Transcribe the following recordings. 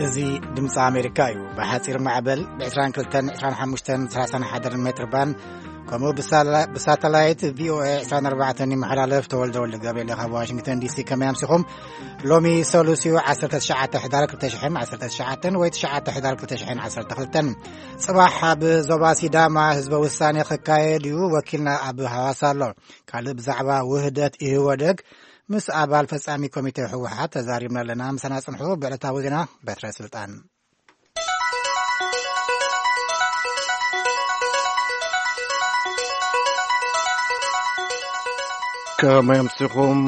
እዚ ድምፂ ኣሜሪካ እዩ። ብሓፂር ማዕበል ብ22፣ 25፣ 31 ሜትር ባንድ፣ ከምኡ ብሳላ-፣ ብሳተላይት ቪ ኦ ኤ ዕስራን ኣርባዕተን ይመሓላለፍ። ተወልደ ወልደ ገብርኤል ካብ ዋሽንግተን ዲ ሲ። ከመይ ኣምሲኹም? ሎሚ ሰሉስ እዩ፣ ዓሰርተ ትሽዓተ ሕዳር ክልተ ሽሕን ዓሰርተ ትሽዓተን ወይ ትሽዓተ ሕዳር ክልተ ሽሕን ዓሰርተ ክልተን። ጽባሕ ኣብ ዞባ ሲዳማ ህዝበ ውሳኔ ክካየድ እዩ። ወኪልና ኣብ ሃዋሳ ኣሎ። ካልእ ብዛዕባ ውህደት ኢህወደግ ምስ ኣባል ፈጻሚ ኮሚቴ ህወሓት ተዛሪብና ኣለና። ምሳና ጽንሑ። ብዕለታዊ ዜና በትረ ስልጣን። ከመይ ኣምሲኹም?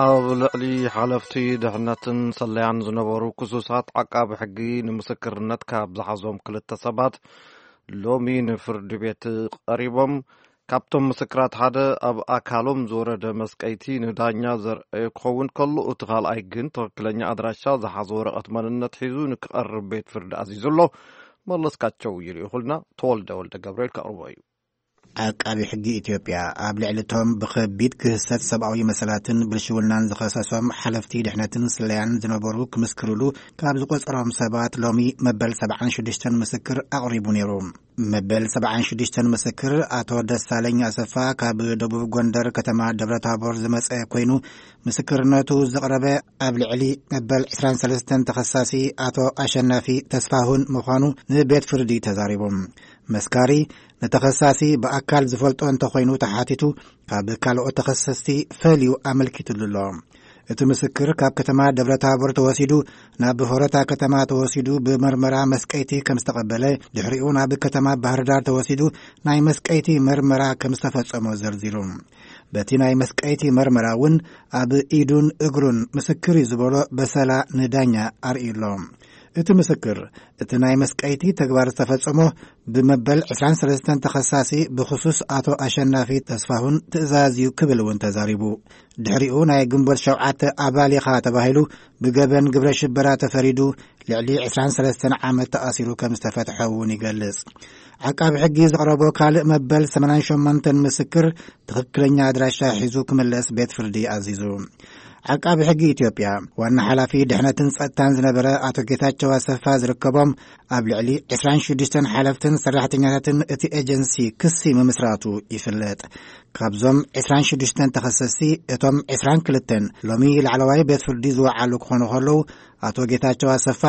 ኣብ ልዕሊ ሓለፍቲ ድሕነትን ሰለያን ዝነበሩ ክሱሳት ዓቃቢ ሕጊ ንምስክርነት ካብ ዝሓዞም ክልተ ሰባት ሎሚ ንፍርዲ ቤት ቀሪቦም። ካብቶም ምስክራት ሓደ ኣብ ኣካሎም ዝወረደ መስቀይቲ ንዳኛ ዘርአየ ክኸውን ከሎ፣ እቲ ካልኣይ ግን ትኽክለኛ ኣድራሻ ዝሓዘ ወረቐት መንነት ሒዙ ንክቐርብ ቤት ፍርዲ ኣዚዙ ኣሎ። መለስካቸው ይልእኹልና፣ ተወልደ ወልደ ገብርኤል ከቕርቦ እዩ። ዓቃቢ ሕጊ ኢትዮጵያ ኣብ ልዕሊ እቶም ብኸቢድ ክህሰት ሰብኣዊ መሰላትን ብልሽውናን ዝኸሰሶም ሓለፍቲ ድሕነትን ስለያን ዝነበሩ ክምስክርሉ ካብ ዝቆጸሮም ሰባት ሎሚ መበል ሰብዓን ሽዱሽተን ምስክር ኣቕሪቡ ነይሩ። መበል ሰብዓን ሽዱሽተን ምስክር ኣቶ ደሳለኝ ኣሰፋ ካብ ደቡብ ጎንደር ከተማ ደብረ ታቦር ዝመጸ ኮይኑ፣ ምስክርነቱ ዘቕረበ ኣብ ልዕሊ መበል ዕስራን ሰለስተን ተኸሳሲ ኣቶ ኣሸናፊ ተስፋሁን ምዃኑ ንቤት ፍርዲ ተዛሪቡ። መስካሪ፣ ንተኸሳሲ ብኣካል ዝፈልጦ እንተኾይኑ ተሓቲቱ፣ ካብ ካልኦት ተኸሰስቲ ፈልዩ ኣመልኪትሉ ኣሎ። እቲ ምስክር ካብ ከተማ ደብረ ታቦር ተወሲዱ ናብ ሆረታ ከተማ ተወሲዱ ብመርመራ መስቀይቲ ከም ዝተቐበለ፣ ድሕሪኡ ናብ ከተማ ባህር ዳር ተወሲዱ ናይ መስቀይቲ መርመራ ከም ዝተፈጸሞ ዘርዚሩ። በቲ ናይ መስቀይቲ መርመራ እውን ኣብ ኢዱን እግሩን ምስክር እዩ ዝበሎ በሰላ ንዳኛ ኣርእዩ ኣሎ። እቲ ምስክር፣ እቲ ናይ መስቀይቲ ተግባር ዝተፈጸሞ ብመበል ዕስራን ሰለስተን ተኸሳሲ ብኽሱስ ኣቶ ኣሸናፊ ተስፋሁን ትእዛዝ እዩ ክብል እውን ተዛሪቡ። ድሕሪኡ ናይ ግንቦት ሸውዓተ ኣባል ኢኻ ተባሂሉ ብገበን ግብረ ሽበራ ተፈሪዱ ልዕሊ ዕስራን ሰለስተን ዓመት ተኣሲሩ ከም ዝተፈትሐ እውን ይገልጽ። ዓቃቢ ሕጊ ዘቕረቦ ካልእ መበል ሰማንያን ሸሞንተን ምስክር ትኽክለኛ ኣድራሻ ሒዙ ክምለስ ቤት ፍርዲ ኣዚዙ። ዓቃቢ ሕጊ ኢትዮጵያ ዋና ሓላፊ ድሕነትን ጸጥታን ዝነበረ ኣቶ ጌታቸው ኣሰፋ ዝርከቦም ኣብ ልዕሊ ዕስራን ሽዱሽተን ሓለፍትን ሰራሕተኛታትን እቲ ኤጀንሲ ክሲ ምምስራቱ ይፍለጥ። ካብዞም ዕስራን ሽዱሽተን ተኸሰስቲ እቶም ዕስራን ክልተን ሎሚ ላዕለዋይ ቤት ፍርዲ ዝወዓሉ ክኾኑ ከለዉ፣ ኣቶ ጌታቸው ኣሰፋ፣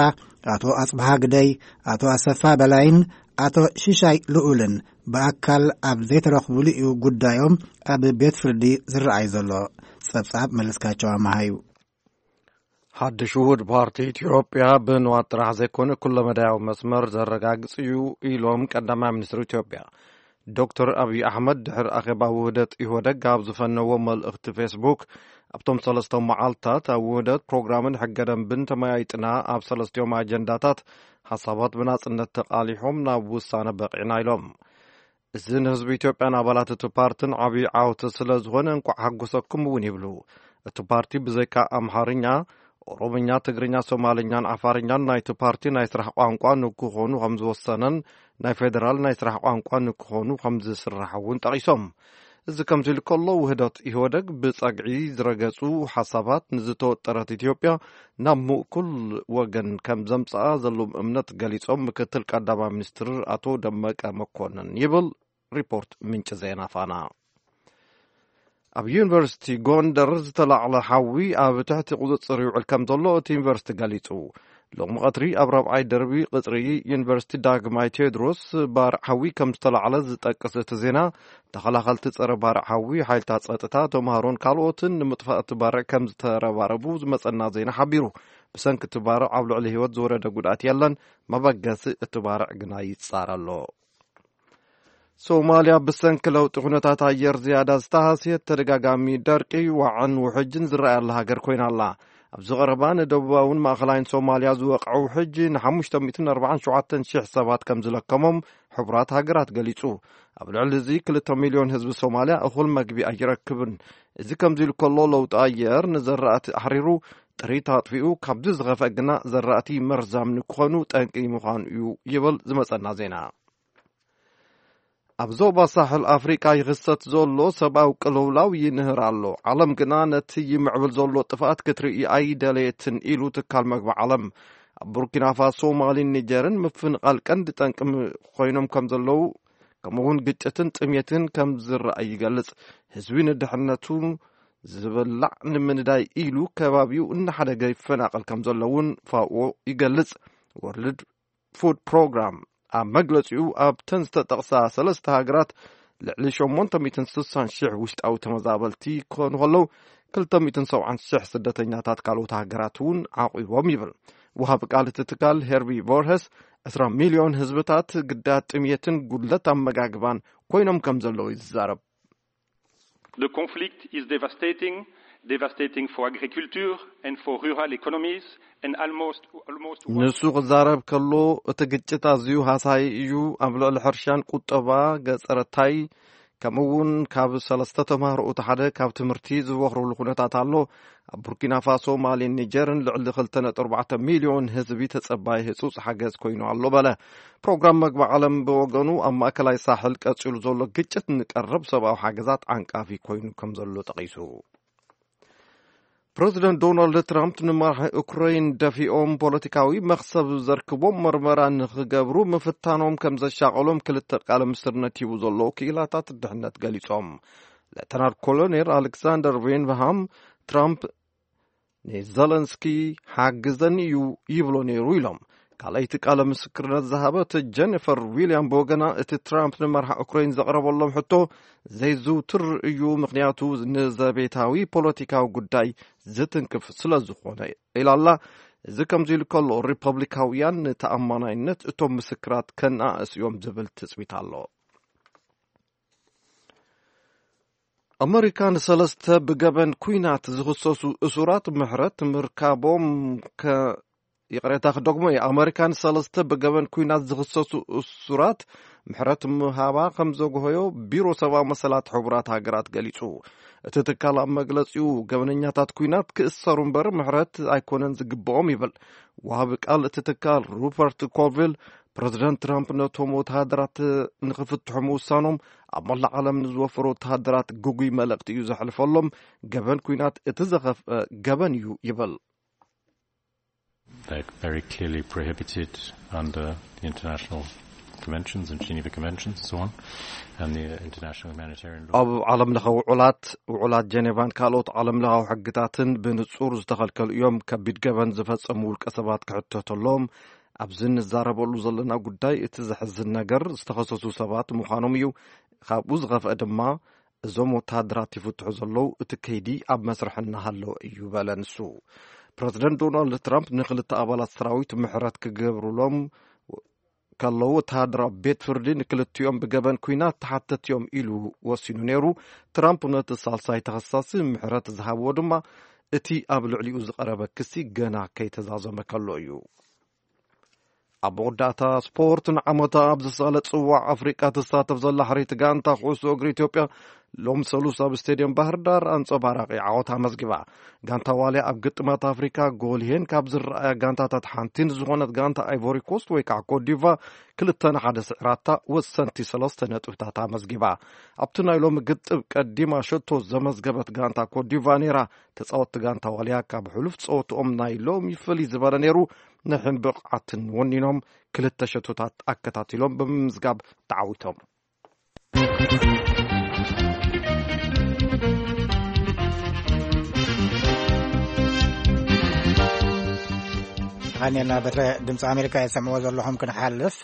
ኣቶ ኣጽብሃ ግደይ፣ ኣቶ ኣሰፋ በላይን ኣቶ ሽሻይ ልኡልን ብኣካል ኣብ ዘይተረኽቡሉ እዩ ጉዳዮም ኣብ ቤት ፍርዲ ዝረኣይ ዘሎ። ጸብጻብ መለስካቸው ኣመሃ እዩ። ሓድሽ ውሁድ ፓርቲ ኢትዮጵያ ብንዋት ጥራሕ ዘይኮነ ኩለመዳያዊ መስመር ዘረጋግጽ እዩ ኢሎም ቀዳማይ ሚኒስትር ኢትዮጵያ ዶክተር ኣብይ ኣሕመድ ድሕሪ ኣኼባ ውህደት ኢህወደግ ኣብ ዝፈነዎ መልእኽቲ ፌስቡክ፣ ኣብቶም ሰለስተ መዓልታት ኣብ ውህደት ፕሮግራምን ሕገ ደንብን ተመያይጥና፣ ኣብ ሰለስቲኦም ኣጀንዳታት ሓሳባት ብናጽነት ተቓሊሖም ናብ ውሳነ በቒዕና ኢሎም። እዚ ንህዝቢ ኢትዮጵያን ኣባላት እቲ ፓርትን ዓብዪ ዓወት ስለ ዝኾነ እንቋዕ ሓጎሰኩም እውን ይብሉ። እቲ ፓርቲ ብዘይካ ኣምሓርኛ፣ ኦሮምኛ፣ ትግርኛ፣ ሶማልኛን ዓፋርኛን ናይቲ ፓርቲ ናይ ስራሕ ቋንቋ ንክኾኑ ከም ዝወሰነን ናይ ፌደራል ናይ ስራሕ ቋንቋ ንክኾኑ ከም ዝስራሕ እውን ጠቒሶም። እዚ ከምዚ ኢሉ ከሎ፣ ውህደት ኢህወደግ ብጸግዒ ዝረገጹ ሓሳባት ንዝተወጠረት ኢትዮጵያ ናብ ምእኩል ወገን ከም ዘምጽኣ ዘለዎም እምነት ገሊጾም፣ ምክትል ቀዳማይ ሚኒስትር ኣቶ ደመቀ መኮንን ይብል ሪፖርት ምንጪ ዜና ፋና። ኣብ ዩኒቨርሲቲ ጎንደር ዝተላዕለ ሓዊ ኣብ ትሕቲ ቁጽጽር ይውዕል ከም ዘሎ እቲ ዩኒቨርሲቲ ገሊጹ። ሎሚ ቀትሪ ኣብ ራብዓይ ደርቢ ቅጽሪ ዩኒቨርሲቲ ዳግማይ ቴዎድሮስ ባርዕ ሓዊ ከም ዝተላዕለ ዝጠቅስ እቲ ዜና፣ ተኸላኸልቲ ጸረ ባርዕ ሓዊ፣ ሓይልታት ጸጥታ፣ ተምሃሮን ካልኦትን ንምጥፋእ እቲ ባርዕ ከም ዝተረባረቡ ዝመጸና ዜና ሓቢሩ። ብሰንኪ እቲ ባርዕ ኣብ ልዕሊ ህይወት ዝወረደ ጉድኣት የለን። መበገሲ እቲ ባርዕ ግና ይጻረ ኣሎ። ሶማልያ ብሰንኪ ለውጢ ኩነታት ኣየር ዝያዳ ዝተሃስየት፣ ተደጋጋሚ ደርቂ፣ ዋዕን ውሕጅን ዝረኣየላ ሃገር ኮይና ኣላ። ኣብዚ ቀረባ ንደቡባውን ማእኸላይን ሶማልያ ዝወቕዐ ውሕጅ ንሓሙሽተ ሚእትን ኣርባዓን ሸውዓተን ሽሕ ሰባት ከም ዝለከሞም ሕቡራት ሃገራት ገሊጹ። ኣብ ልዕሊ እዚ ክልተ ሚልዮን ህዝቢ ሶማልያ እኹል መግቢ ኣይረክብን። እዚ ከምዚ ኢሉ ከሎ፣ ለውጢ ኣየር ንዘራእቲ ኣሕሪሩ፣ ጥሪት ኣጥፊኡ፣ ካብዚ ዝኸፍአ ግና ዘራእቲ መርዛም ንክኾኑ ጠንቂ ምዃኑ እዩ ይብል ዝመጸና ዜና። ኣብ ዞባ ሳሕል ኣፍሪቃ ይኽሰት ዘሎ ሰብኣዊ ቅልውላው ይንህር ኣሎ። ዓለም ግና ነቲ ይምዕብል ዘሎ ጥፍኣት ክትርኢ ኣይደለየትን ኢሉ ትካል መግቢ ዓለም። ኣብ ቡርኪና ፋሶ፣ ማሊን ኒጀርን ምፍንቓል ቀንዲ ጠንቂ ም-፣ ኮይኖም ከም ዘለዉ፣ ከምኡ እውን ግጭትን ጥሜትን ከም ዝረኣይ ይገልጽ። ህዝቢ ንድሕነቱ ዝብላዕ ንምንዳይ ኢሉ ከባቢኡ እናሓደገ ይፈናቐል ከም ዘሎ እውን ፋኦ ይገልጽ። ወርልድ ፉድ ፕሮግራም ኣብ መግለጺኡ፣ ኣብተን ዝተጠቕሳ ሰለስተ ሃገራት ልዕሊ ሸሞንተ ሚእትን ስሳን ሽሕ ውሽጣዊ ተመዛበልቲ ክኾኑ ከለዉ፣ ክልተ ሚእትን ሰብዓን ሽሕ ስደተኛታት ካልኦት ሃገራት እውን ዓቒቦም ይብል። ወሃቢ ቃል እቲ ትካል ሄርቢ ቮርሄስ፣ ዕስራ ሚልዮን ህዝብታት ግዳያት ጥምየትን ጉድለት ኣመጋግባን ኮይኖም ከም ዘለዉ ይዛረብ። The conflict is devastating, devastating for agriculture and for rural economies and almost, almost one ንሱ ክዛረብ ከሎ፣ እቲ ግጭት ኣዝዩ ሃሳዪ እዩ። ኣብ ልዕሊ ሕርሻን ቁጠባ ገጸረታይ፣ ከምኡ እውን ካብ ሰለስተ ተማሃሮ እቲ ሓደ ካብ ትምህርቲ ዝበኽረሉ ኩነታት ኣሎ። ኣብ ቡርኪና ፋሶ፣ ማሊን ኒጀርን ልዕሊ ክልተ ነጥቢ ኣርባዕተ ሚልዮን ህዝቢ ተጸባይ ህጹጽ ሓገዝ ኮይኑ ኣሎ በለ። ፕሮግራም መግቢ ዓለም ብወገኑ፣ ኣብ ማእከላይ ሳሕል ቀጺሉ ዘሎ ግጭት ንቀረብ ሰብኣዊ ሓገዛት ዓንቃፊ ኮይኑ ከም ዘሎ ጠቒሱ። ፕረዚደንት ዶናልድ ትራምፕ ንመራሒ ኡክረይን ደፊኦም ፖለቲካዊ መኽሰብ ዘርክቦም መርመራ ንኽገብሩ ምፍታኖም ከም ዘሻቐሎም ክልተ ቃለ ምስርነት ሂቡ ዘሎ ክኢላታት ድሕነት ገሊጾም። ሌተናል ኮሎኔል ኣሌክሳንደር ቬንሃም፣ ትራምፕ ንዘለንስኪ ሓግዘኒ እዩ ይብሎ ነይሩ ኢሎም። ካልኣይቲ ቃለ ምስክርነት ዝሃበት ጀኒፈር ዊልያም ብወገና፣ እቲ ትራምፕ ንመርሓ ኡክረይን ዘቕረበሎም ሕቶ ዘይዝውትር እዩ፣ ምኽንያቱ ንዘቤታዊ ፖለቲካዊ ጉዳይ ዝትንክፍ ስለ ዝኾነ ኢላላ። እዚ ከምዚ ኢሉ ከሎ፣ ሪፐብሊካውያን ንተኣማናይነት እቶም ምስክራት ከነኣእስ እዮም ዝብል ትጽቢት ኣሎ። ኣመሪካ ንሰለስተ ብገበን ኲናት ዝኽሰሱ እሱራት ምሕረት ምርካቦም ከ-፣ ይቕሬታ ክደግሞ እየ። ኣመሪካ ንሰለስተ ብገበን ኲናት ዝኽሰሱ እሱራት ምሕረት ምሃባ ከም ዘግሆዮ ቢሮ ሰብኣዊ መሰላት ሕቡራት ሃገራት ገሊጹ። እቲ ትካል ኣብ መግለጺኡ፣ ገበነኛታት ኲናት ክእሰሩ እምበር ምሕረት ኣይኮነን ዝግብኦም ይብል። ወሃቢ ቃል እቲ ትካል ሩፐርት ኮልቪል፣ ፕረዚደንት ትራምፕ ነቶም ወተሃደራት ንኽፍትሑ ምውሳኖም ኣብ መላእ ዓለም ንዝወፈሩ ወተሃደራት ግጉይ መልእኽቲ እዩ ዘሕልፈሎም። ገበን ኲናት እቲ ዘኸፍአ ገበን እዩ ይብል። They're very clearly prohibited under the international conventions and Geneva Conventions and so on, and the international humanitarian law. ኣብ ዓለም ለኸ ውዑላት፣ ውዑላት ጀኔቫን ካልኦት ዓለም ለኻዊ ሕግታትን ብንጹር ዝተኸልከሉ እዮም። ከቢድ ገበን ዝፈጸሙ ውልቀ ሰባት ክሕተተሎም ኣብዚ እንዛረበሉ ዘለና ጉዳይ፣ እቲ ዘሕዝን ነገር ዝተኸሰሱ ሰባት ምዃኖም እዩ። ካብኡ ዝኸፍአ ድማ፣ እዞም ወተሃደራት ይፍትሑ ዘለዉ፣ እቲ ከይዲ ኣብ መስርሕ እናሃለወ እዩ በለ ንሱ። ፕረዚደንት ዶናልድ ትራምፕ ንክልተ ኣባላት ሰራዊት ምሕረት ክገብሩሎም ከለዉ፣ ወተሃደራዊ ቤት ፍርዲ ንክልቲኦም ብገበን ኲናት ተሓተቲ እዮም ኢሉ ወሲኑ ነይሩ። ትራምፕ ነቲ ሳልሳይ ተኸሳሲ ምሕረት ዝሃብዎ ድማ፣ እቲ ኣብ ልዕሊኡ ዝቐረበ ክሲ ገና ከይተዛዘመ ከሎ እዩ። ኣብ መወዳእታ ስፖርት፣ ንዓመታ ኣብ ዝሳለ ጽዋዕ ኣፍሪቃ ትሳተፍ ዘላ ሕርይቲ ጋንታ ኩዕሶ እግሪ ኢትዮጵያ፣ ሎም ሰሉስ ኣብ ስቴድየም ባህር ዳር ኣንጸባራቂ ዓወት ኣመዝጊባ። ጋንታ ዋልያ ኣብ ግጥማት ኣፍሪካ ጎልሄን ካብ ዝረኣያ ጋንታታት ሓንቲ ንዝኾነት ጋንታ ኣይቮሪ ኮስት ወይ ከዓ ኮትዲቫ ክልተ ንሓደ ስዕራታ ወሰንቲ ሰለስተ ነጥብታት ኣመዝጊባ። ኣብቲ ናይ ሎሚ ግጥም ቀዲማ ሸቶ ዘመዝገበት ጋንታ ኮትዲቫ ነይራ። ተጻወትቲ ጋንታ ዋልያ ካብ ሕሉፍ ጸወትኦም ናይ ሎሚ ፍልይ ዝበለ ነይሩ። ንሕን ብቕዓትን ወኒኖም ክልተ ሸቶታት ኣከታቲሎም ብምምዝጋብ ተዓዊቶም። ተኻኒልና በትረ ድምፂ ኣሜሪካ የሰምዕዎ ዘለኹም። ክንሓልፍ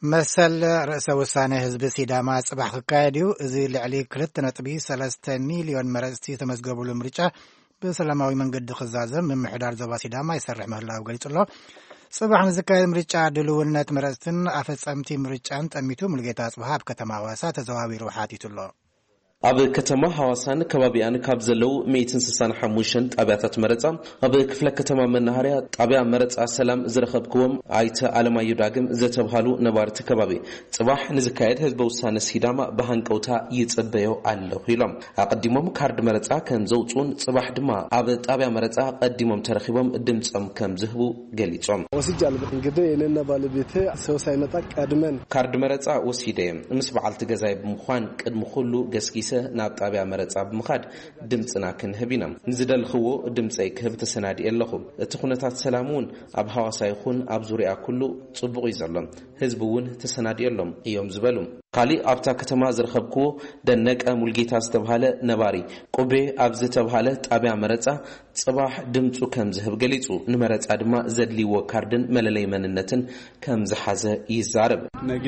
መሰል ርእሰ ውሳነ ህዝቢ ሲዳማ ጽባሕ ክካየድ እዩ። እዚ ልዕሊ ክልተ ነጥቢ ሰለስተ ሚልዮን መረፅቲ ዝተመዝገቡሉ ምርጫ ብሰላማዊ መንገዲ ክዛዘም ምምሕዳር ዞባ ሲዳማ ይሰርሕ ምህላው ገሊጹ ኣሎ። ጽባሕ ንዝካየድ ምርጫ ድልውነት መረፅትን ኣፈጸምቲ ምርጫን ጠሚቱ ሙሉጌታ ኣጽብሃ ኣብ ከተማ ሃዋሳ ተዘዋዊሩ ሓቲቱ ኣሎ። ኣብ ከተማ ሃዋሳን ከባቢኣን ካብ ዘለዉ ሚእትን ስሳን ሓሙሽተን ጣብያታት መረፃ ኣብ ክፍለ ከተማ መናሃርያ ጣብያ መረፃ ሰላም ዝረኸብክዎም ኣይተ ኣለማዮ ዳግም ዝተብሃሉ ነባርቲ ከባቢ ጽባሕ ንዝካየድ ህዝበ ውሳነ ሲዳማ ብሃንቀውታ ይጽበዮ ኣለኹ ኢሎም። ኣቐዲሞም ካርድ መረጻ ከም ዘውጽኡን ጽባሕ ድማ ኣብ ጣብያ መረጻ ቀዲሞም ተረኺቦም ድምጾም ከም ዝህቡ ገሊጾም። ወስጃለሁ። እንግዲህ እኔና ባለቤቴ ሰው ሳይመጣ ቀድመን ካርድ መረጻ ወሲደ እየ። ምስ በዓልቲ ገዛይ ብምዃን ቅድሚ ኩሉ ገስጊሰ ናብ ጣብያ መረፃ ብምኻድ ድምፅና ክንህብ ኢና። ንዝደልኽዎ ድምፀይ ክህብ ተሰናዲኤ ኣለኹ። እቲ ኩነታት ሰላም እውን ኣብ ሃዋሳ ይኹን ኣብ ዙሪያ ኩሉ ፅቡቕ እዩ ዘሎ። ህዝቢ እውን ተሰናዲኦሎም እዮም ዝበሉ። ካሊእ ኣብታ ከተማ ዝረኸብክዎ ደነቀ ሙልጌታ ዝተብሃለ ነባሪ ቁቤ ኣብ ዝተብሃለ ጣብያ መረፃ ፅባሕ ድምፁ ከም ዝህብ ገሊፁ። ንመረፃ ድማ ዘድልይዎ ካርድን መለለይ መንነትን ከም ዝሓዘ ይዛረብ። ነገ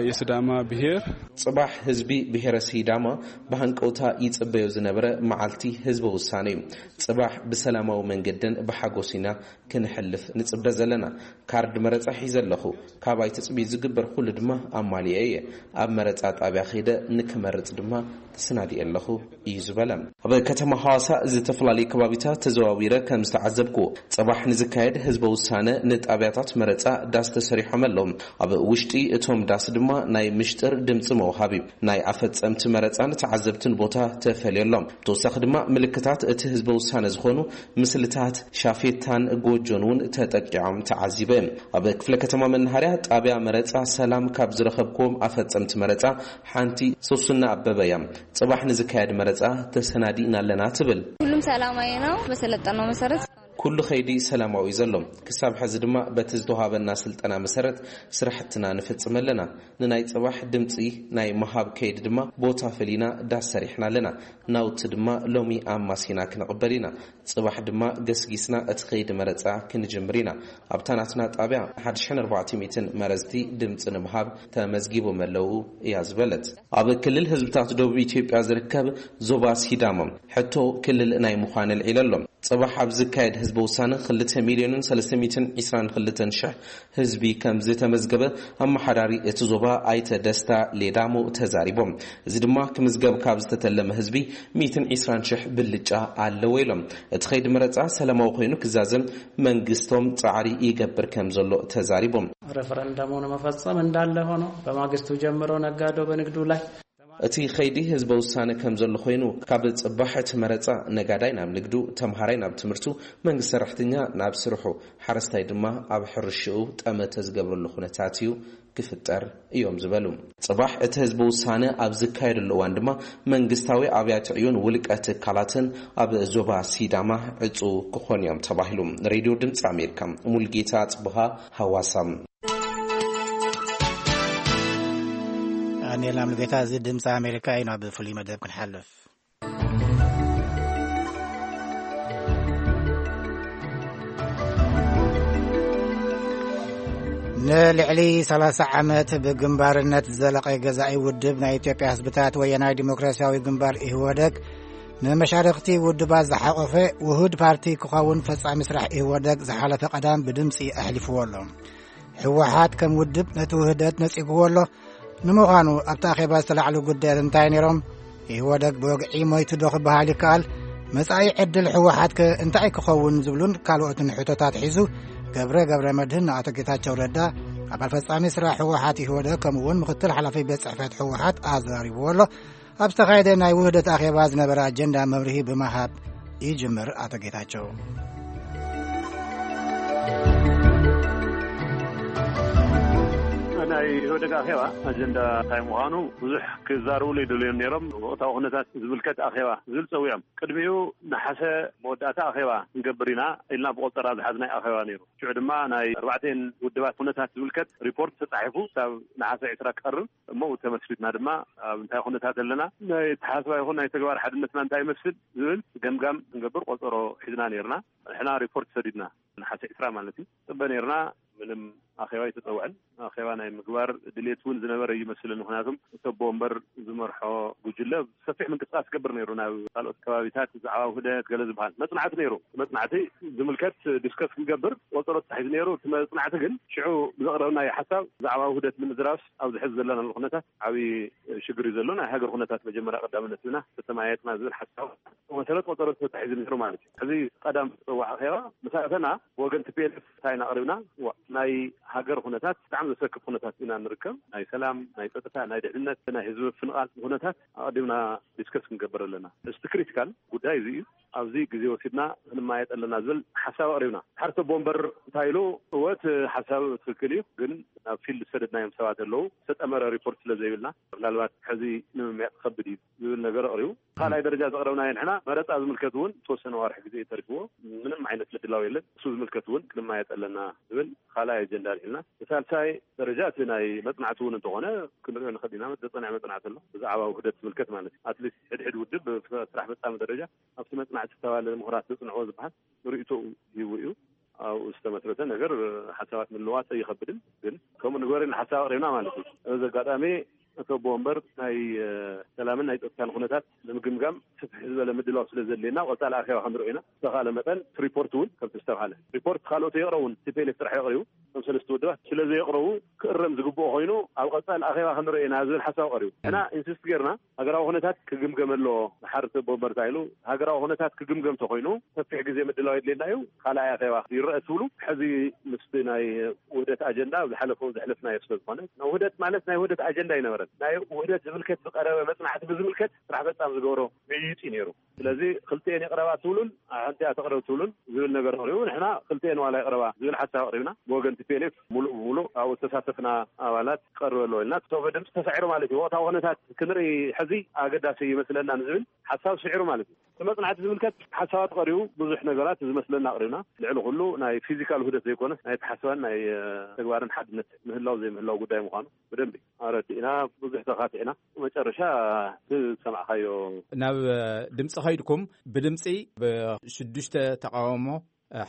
የሲዳማ ብሄር ፅባሕ ህዝቢ ብሄረ ሲዳማ ብሃንቀውታ ይፅበዮ ዝነበረ መዓልቲ ህዝበ ውሳነ እዩ። ፅባሕ ብሰላማዊ መንገድን ብሓጎስ ኢና ክንሕልፍ ንፅበ ዘለና። ካርድ መረፃ ሒዘ ኣለኹ። ካባይ ትፅቢት ዝግበር ኩሉ ድማ ኣማሊኤ እየ። ኣብ መረፃ ጣብያ ከይደ ንክመርፅ ድማ ተሰናዲኤ ኣለኹ እዩ ዝበለ። ኣብ ከተማ ሃዋሳ ዝተፈላለዩ ከባቢታት ተዘዋዊረ ከም ዝተዓዘብኩዎ፣ ጽባሕ ንዝካየድ ህዝበ ውሳነ ንጣብያታት መረጻ ዳስ ተሰሪሖም ኣለዉ። ኣብ ውሽጢ እቶም ዳስ ድማ ናይ ምሽጥር ድምጺ መውሃቢ፣ ናይ ኣፈጸምቲ መረጻን ተዓዘብትን ቦታ ተፈልዩ ኣሎ። ብተወሳኺ ድማ ምልክታት እቲ ህዝበ ውሳነ ዝኾኑ ምስልታት ሻፌታን ጎጆን እውን ተጠቂዖም ተዓዚበ። ኣብ ክፍለ ከተማ መናሃርያ ጣብያ መረጻ ሰላም ካብ ዝረኸብክዎም ኣፈጸምቲ መረጻ ሓንቲ ሶስና ኣበበ እያ። ጽባሕ ንዝካየድ መረጻ ተሰናዲእና ኣለና ትብል። ሁሉም ሰላማዊ ነው በሰለጠነው መሰረት። ኩሉ ከይዲ ሰላማዊ እዩ ዘሎ። ክሳብ ሕዚ ድማ በቲ ዝተዋሃበና ስልጠና መሰረት ስራሕትና ንፍጽም ኣለና። ንናይ ጽባሕ ድምጺ ናይ ምሃብ ከይዲ ድማ ቦታ ፈሊና ዳስ ሰሪሕና ኣለና። ናውቲ ድማ ሎሚ ኣማሲና ክንቕበል ኢና። ጽባሕ ድማ ገስጊስና እቲ ከይዲ መረጻ ክንጅምር ኢና። ኣብታ ናትና ጣብያ ሓደ ሽሕን ኣርባዕተ ሚእትን መረጽቲ ድምጺ ንምሃብ ተመዝጊቦም ኣለዉ እያ ዝበለት። ኣብ ክልል ህዝብታት ደቡብ ኢትዮጵያ ዝርከብ ዞባ ሲዳማ ሕቶ ክልል ናይ ምዃን ኣልዒሉ ኣሎ። ጽባሕ ኣብ ዝካየድ ህዝቢ ውሳነ ክልተ ሚልዮንን ሰለስተ ሚእትን ዕስራን ክልተን ሽሕ ህዝቢ ከም ዝተመዝገበ ኣመሓዳሪ እቲ ዞባ ኣይተ ደስታ ሌዳሞ ተዛሪቦም። እዚ ድማ ክምዝገብ ካብ ዝተተለመ ህዝቢ ሚእትን ዕስራን ሽሕ ብልጫ ኣለዎ ኢሎም። እቲ ከይዲ መረጻ ሰላማዊ ኮይኑ ክዛዘም መንግስቶም ጻዕሪ ይገብር ከም ዘሎ ተዛሪቦም። ሬፈረንደሙ ንመፈጸም እንዳለ ሆኖ በማግስቱ ጀምሮ ነጋዶ በንግዱ ላይ እቲ ከይዲ ህዝበ ውሳነ ከም ዘሎ ኮይኑ፣ ካብ ጽባሕ እቲ መረጻ ነጋዳይ ናብ ንግዱ፣ ተምሃራይ ናብ ትምህርቱ፣ መንግስቲ ሰራሕተኛ ናብ ስርሑ፣ ሓረስታይ ድማ ኣብ ሕርሽኡ ጠመተ ዝገብረሉ ኩነታት እዩ ክፍጠር እዮም ዝበሉ። ጽባሕ እቲ ህዝቢ ውሳነ ኣብ ዝካየደሉ እዋን ድማ መንግስታዊ ኣብያተ ዕዮን ውልቀ ትካላትን ኣብ ዞባ ሲዳማ ዕጹ ክኾኑ እዮም ተባሂሉ። ሬድዮ ድምፂ ኣሜሪካ፣ ሙልጌታ ጽቡሃ፣ ሃዋሳ። ዳንኤል ኣምልጌታ፣ እዚ ድምፂ ኣሜሪካ እዩ። ናብ ፍሉይ መደብ ክንሓልፍ። ንልዕሊ ሰላሳ ዓመት ብግንባርነት ዝዘለቐ ገዛኢ ውድብ ናይ ኢትዮጵያ ህዝብታት ወያናዊ ዲሞክራሲያዊ ግንባር፣ ኢህወደግ፣ ንመሻርኽቲ ውድባት ዝሓቖፈ ውሁድ ፓርቲ ክኸውን ፈጻሚ ስራሕ ኢህወደግ ዝሓለፈ ቀዳም ብድምፂ ኣሕሊፍዎ ኣሎ። ህወሓት ከም ውድብ ነቲ ውህደት ነጺግዎ ኣሎ። ንምዃኑ ኣብቲ ኣኼባ ዝተላዕሉ ጉዳያት እንታይ ነይሮም? ኢህወደግ ብወግዒ ሞይቱ ዶ ክበሃል ይከኣል? መጻኢ ዕድል ህወሓት ከ እንታይ ክኸውን? ዝብሉን ካልኦትን ሕቶታት ሒዙ ገብረ ገብረ መድህን ንኣቶ ጌታቸው ረዳ፣ ኣባል ፈጻሚ ስራሕ ህወሓት ኢህወደግ፣ ከምኡ እውን ምክትል ሓላፊ ቤት ጽሕፈት ህወሓት ኣዘራሪብዎ ኣሎ። ኣብ ዝተኻየደ ናይ ውህደት ኣኼባ ዝነበረ ኣጀንዳ መብርሂ ብምሃብ ይጅምር ኣቶ ጌታቸው። ናይ ኢህወደግ ኣኼባ ኣጀንዳ እንታይ ምዃኑ ብዙሕ ክዛረብሉ ይደልዮም ነይሮም። ወቕታዊ ኩነታት ዝምልከት ኣኼባ ዝብል ጸዊዖም። ቅድሚኡ ነሓሰ መወዳእታ ኣኼባ ክንገብር ኢና ኢልና ብቆጸራ ዝሓዝናይ ኣኼባ ነይሩ። ሽዑ ድማ ናይ ኣርባዕተን ውድባት ኩነታት ዝምልከት ሪፖርት ተጻሒፉ ክሳብ ነሓሰ ዕስራ ክቐርብ፣ እሞ ተመስሪትና ድማ ኣብ እንታይ ኩነታት ኣለና፣ ናይ ኣተሓሳስባ ይኹን ናይ ተግባር ሓድነትና እንታይ ይመስል ዝብል ገምጋም ክንገብር ቆጸሮ ሒዝና ነይርና። ንሕና ሪፖርት ሰዲድና፣ ነሓሰ ዕስራ ማለት እዩ፣ ጽበ ነይርና። ምንም ኣኼባ ኣይተጸውዐን። ኣኼባ ናይ ምግባር ድሌት እውን ዝነበረ እዩ ይመስለኒ። ምኽንያቱም እቲ ኣቦ ወንበር ዝመርሖ ጉጅለ ሰፊሕ ምንቅስቃስ ይገብር ነይሩ። ናብ ካልኦት ከባቢታት ብዛዕባ ውህደት ገለ ዝበሃል መጽናዕቲ ነይሩ። መጽናዕቲ ዝምልከት ዲስከስ ክንገብር ቆጸሮ ተታሒዙ ነይሩ። እቲ መጽናዕቲ ግን ሽዑ ብዘቕረብናዮ ሓሳብ ብዛዕባ ውህደት ንምዝራብስ ኣብዚ ሕዚ ዘለናሉ ኩነታት ዓብዪ ሽግር እዩ ዘሎ። ናይ ሃገር ኩነታት መጀመርያ ቀዳምነት ሂብና ተተመያየጥና ዝብል ሓሳብ መሰረት ቆጸሮ ተታሒዙ ነይሩ ማለት እዩ። ሕዚ ቀዳም ዝተጸዋዕ ኣኼባ ምስ ኣተና ብወገን ቲ ፒ ኤል ኤፍ እንታይ ኢና ኣቕሪብና? ዋ፣ ናይ ሃገር ኩነታት ብጣዕሚ ዘሰክፍ ኩነታት ኢና ንርከብ። ናይ ሰላም፣ ናይ ጸጥታ፣ ናይ ድሕነት፣ ናይ ህዝቢ ፍንቓል ኩነታት ኣቐዲምና ዲስከስ ክንገብር ኣለና። እስቲ ክሪቲካል ጉዳይ እዚ እዩ። ኣብዚ ግዜ ወሲድና ክንመያየጥ ኣለና ዝብል ሓሳብ ኣቕሪብና። ሓርተ ቦምበር እንታይ ኢሉ? እወት ሓሳብ ትክክል እዩ፣ ግን ናብ ፊልድ ዝሰደድናዮም ሰባት ኣለዉ። ዝተጠመረ ሪፖርት ስለ ዘይብልና ምናልባት ሕዚ ንምምያጥ ከብድ እዩ ዝብል ነገር ኣቕሪቡ። ካልኣይ ደረጃ ዘቕረብናዮ ንሕና መረፃ ዝምልከት እውን ዝተወሰነ ዋርሒ ግዜ ተሪፍዎ፣ ምንም ዓይነት ምድላው የለን። እሱ ዝምልከት እውን ክንመያየጥ ኣለና ዝብል ካልኣይ ኣጀንዳ ኣልዒልና። ብሳልሳይ ደረጃ እቲ ናይ መፅናዕቲ እውን እንተኾነ ክንሪኦ ንኽእል ኢና። ዘፀንዐ መፅናዕቲ ኣሎ ብዛዕባ ውህደት ዝምልከት ማለት እዩ። ኣትሊስት ሕድሕድ ውድብ ብስራሕ ፈፃሚ ደረጃ ኣብቲ መፅናዕቲ ዝተባለ ምሁራት ዘፅንዕዎ ዝበሃል ርእይቶ ሂቡ እዩ። ኣብኡ ዝተመስረተ ነገር ሓሳባት ምልዋጥ ኣይኸብድን፣ ግን ከምኡ ንግበር ሓሳብ ኣቕሪብና ማለት እዩ። እዚ ኣጋጣሚ እቲ ኣቦ ወንበር ናይ ሰላምን ናይ ፀጥታን ኩነታት ንምግምጋም ስፍሕ ዝበለ ምድላው ስለ ዘድልየና ቀፃሊ ኣኼባ ክንርኢ ኢና። ዝተኻለ መጠን ሪፖርት እውን ከምቲ ዝተባሃለ ሪፖርት ካልኦት የቕረቡን ቲፒኤልኤፍ ጥራሕ የቕሪቡ እቶም ሰለስተ ውድባት ስለ ዘየቕረቡ ክእረም ዝግብኦ ኮይኑ ኣብ ቀፃሊ ኣኼባ ክንርኢ ኢና ዝብል ሓሳብ ቀሪቡ። እና ኢንሲስት ጌርና ሃገራዊ ኩነታት ክግምገም ኣለዎ። ድሓር እቲ ኣቦ ወንበር እንታይ ኢሉ? ሃገራዊ ኩነታት ክግምገም ተኮይኑ ሰፊሕ ግዜ ምድላው የድልየና እዩ። ካልኣይ ኣኼባ ይረአ ትብሉ። ሕዚ ምስቲ ናይ ውህደት ኣጀንዳ ዝሓለፈ ዘሕለፍናዮ ስለ ዝኾነ፣ ውህደት ማለት ናይ ውህደት ኣጀንዳ ኣይነበረን። ናይ ውህደት ዝምልከት ዝቀረበ መፅናዕቲ ብዝምልከት ስራሕ ፈፃም ዝገብሮ ምይይጥ እዩ ነይሩ። ስለዚ ክልቲኤን የቕረባ ትብሉን ሓንቲ እያ ተቕረብ ትብሉን ዝብል ነገር ኣቕሪቡ፣ ንሕና ክልቲኤን ዋላ ይቕረባ ዝብል ሓሳብ ኣቕሪብና። ብወገን ቲፒኤልኤፍ ሙሉእ ብሙሉእ ኣብኡ ዝተሳተፍና ኣባላት ክቐርብ ኣለዎ ኢልና፣ እቲ ድምፂ ተሳዒሩ ማለት እዩ። ወቕታዊ ኩነታት ክንርኢ ሕዚ ኣገዳሲ ይመስለና ንዝብል ሓሳብ ስዒሩ ማለት እዩ። እቲ መፅናዕቲ ዝምልከት ሓሳባት ቀሪቡ ብዙሕ ነገራት ዝመስለና ኣቕሪብና። ልዕሊ ኩሉ ናይ ፊዚካል ውህደት ዘይኮነስ ናይ ኣተሓሳስባን ናይ ተግባርን ሓድነት ምህላው ዘይምህላው ጉዳይ ምዃኑ ብደንቢ ኣረዲእና፣ ብዙሕ ተኻቲዕና። መጨረሻ እቲ ዝሰማዕካዮ ናብ ድምፂ ከይድኩም ብድምፂ ብሽዱሽተ ተቃውሞ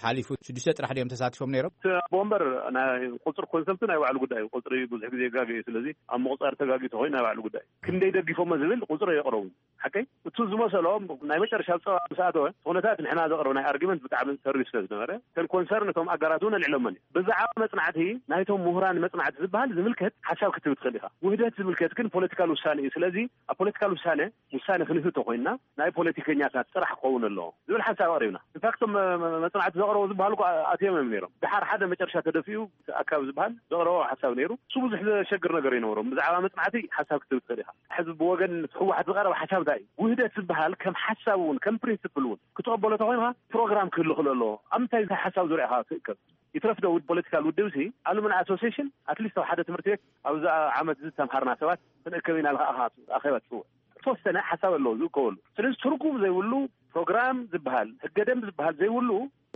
ሓሊፉ ሽዱሽተ ጥራሕ ድዮም ተሳቲፎም ነይሮም? እቲ ኣቦ ወንበር ናይ ቁፅሪ ኮንሰፕቱ ናይ ባዕሉ ጉዳይ እዩ። ቁፅሪ ብዙሕ ግዜ የጋግእ እዩ። ስለዚ ኣብ ምቁፃር ተጋጊ ተኮይኑ ናይ ባዕሉ ጉዳይ እዩ። ክንደይ ደጊፎሞ ዝብል ቁፅሪ የቕረቡ። ሓቀይ እቱ ዝመሰሎም ናይ መጨረሻ ኣብ ፀባ ምስ ኣተወ ኩነታት ንሕና ዘቕረብናይ ኣርጊመንት ብጣዕሚ ተሪር ስለ ዝነበረ እተን ኮንሰርን እቶም ኣጋራት እውን ኣልዒሎመን እዩ። ብዛዕባ መፅናዕቲ ናይቶም ምሁራን መፅናዕቲ ዝበሃል ዝምልከት ሓሳብ ክትህብ ትኽእል ኢኻ። ውህደት ዝምልከት ግን ፖለቲካል ውሳነ እዩ። ስለዚ ኣብ ፖለቲካል ውሳነ ውሳነ ክንህብ ተኮይንና ናይ ፖለቲከኛታት ጥራሕ ክኸውን ኣለዎ ዝብል ሓሳብ ኣቕሪብና። ኢንፋክት እቶም መ- መ- መፅናዕቲ ዘቕረቡ ዝበሃሉ እኮ ኣትዮም እዮም ነይሮም። ድሓር ሓደ መጨረሻ ተደፊኡ ኣካብ ዝበሃል ዘቕረቦ ሓሳብ ነይሩ። እሱ ብዙሕ ዘሸግር ነገር ኣይነበሮም። ብዛዕባ መፅናዕቲ ሓሳብ ክትህብ ትኽእል ኢኻ። ሕዚ ብወገን ህወሓት ዝቐረበ ሓሳብ እንታይ እዩ? ውህደት ዝበሃል ከም ሓሳብ እውን ከም ፕሪንስፕል እውን ክትቐበሎ ተኮይንካ ፕሮግራም ክህሉ ክእል ኣለዎ። ኣብ ምንታይ ሓሳብ ዙሪያ ኢኻ ትእከብ? ይትረፍ ዶ ውድ ፖለቲካል ውድብ ሲ ኣሉምና ኣሶሲሽን ኣትሊስት ኣብ ሓደ ትምህርቲ ቤት ኣብዚ ዓመት እዚ ዝተምሃርና ሰባት ክንእከብ ኢና ኢልካ ኢኻ ኣኼባ ትፅውዕ። ዝተወሰነ ሓሳብ ኣለዎ ዝእከበሉ። ስለዚ ትርጉም ዘይብሉ ፕሮግራም ዝበሃል ህገ ደንብ ዝበሃል ዘይብሉ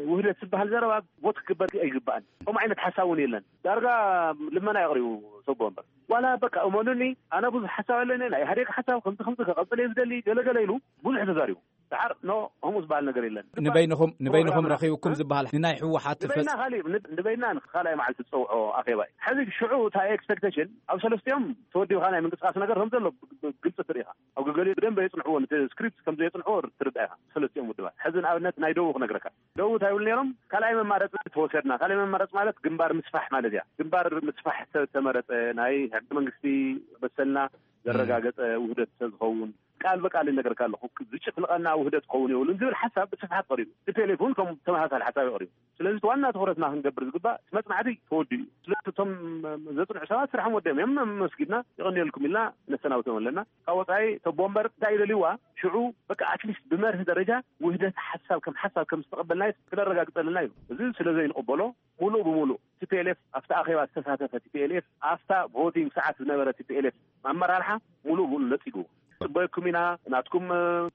ውህደት ዝበሃል ዘረባ ቦት ክግበር ኣይግባእን። ከምኡ ዓይነት ሓሳብ እውን የለን። ዳርጋ ልመና የቕሪቡ ሰቦ ወንበር ዋላ በቃ እመኑኒ ኣነ ብዙሕ ሓሳብ ኣለኒ ናይ ኢህዴግ ሓሳብ ከምዚ ከምዚ ከቐፅል እየ ዝደሊ ገለገለ ኢሉ ብዙሕ ተዛሪቡ። ድሓር ኖ ከምኡ ዝበሃል ነገር የለን። ንበይንኹም ንበይንኹም ፕሮግራምና ረኺብኩም ዝበሃል ንናይ ህወሓት ንበይና ፈፅ- ካሊእ ን- ንበይና ንካልኣይ መዓልቲ ዝፀውዖ ኣኼባ እዩ። ሕዚ ሽዑ እታ ኤክስፔክቴሽን ኣብ ሰለስቲኦም ተወዲብካ ናይ ምንቅስቃስ ነገር ከም ዘሎ ግልፂ ትርኢኻ። ኣብ ገገሊኡ ብደንብ የፅንሕዎ ነቲ ስክሪፕት ከም ዘየፅንሕዎ ትርዳእ ኢኻ። ሰለስቲኦም ውድባት ሕዚ ንኣብነት ናይ ደቡብ ክነግረካ። ደቡብ እንታይ ይብሉ ነይሮም? ካልኣይ መማረፂ ተወሰድና። ካልኣይ መማረፂ ማለት ግንባር ምስፋሕ ማለት እያ። ግንባር ምስፋሕ ዝተመረፀ ናይ ሕገ መንግስቲ መሰልና ዘረጋገፀ ውህደት ዝኸውን ቃል በቃል ይነገርካ ኣለኹ። ዝጭፍልቐና ውህደት ክኸውን የብሉን ዝብል ሓሳብ ብስፍሓት ቀሪቡ። ቲፒኤልኤፍ እውን ከም ተመሳሳሊ ሓሳብ ይቐሪቡ። ስለዚ እቲ ዋና ትኹረትና ክንገብር ዝግባእ እቲ መፅናዕቲ ተወዲኡ እዩ። ስለዚ እቶም ዘፅንዑ ሰባት ስራሖም ወዲኦም እዮም። መስጊድና የቐንየልኩም ኢልና ነሰናብቶም ኣለና። ካብ ወፃኢ ተቦ እምበር እንታይ ይደልይዋ ሽዑ በቃ ኣትሊስት ብመርህ ደረጃ ውህደት ሓሳብ ከም ሓሳብ ከም ዝተቐበልናዮ ክነረጋግፀልና እዩ። እዚ ስለ ዘይንቕበሎ ሙሉእ ብሙሉእ ቲፒኤልኤፍ ኣብቲ ኣኼባ ዝተሳተፈ ቲፒኤልኤፍ ኣብታ ቮቲንግ ሰዓት ዝነበረ ቲፒኤልኤፍ ኣመራርሓ ሙሉእ ብሙሉእ ነፂጉ። ፅበየኩም ኢና ናትኩም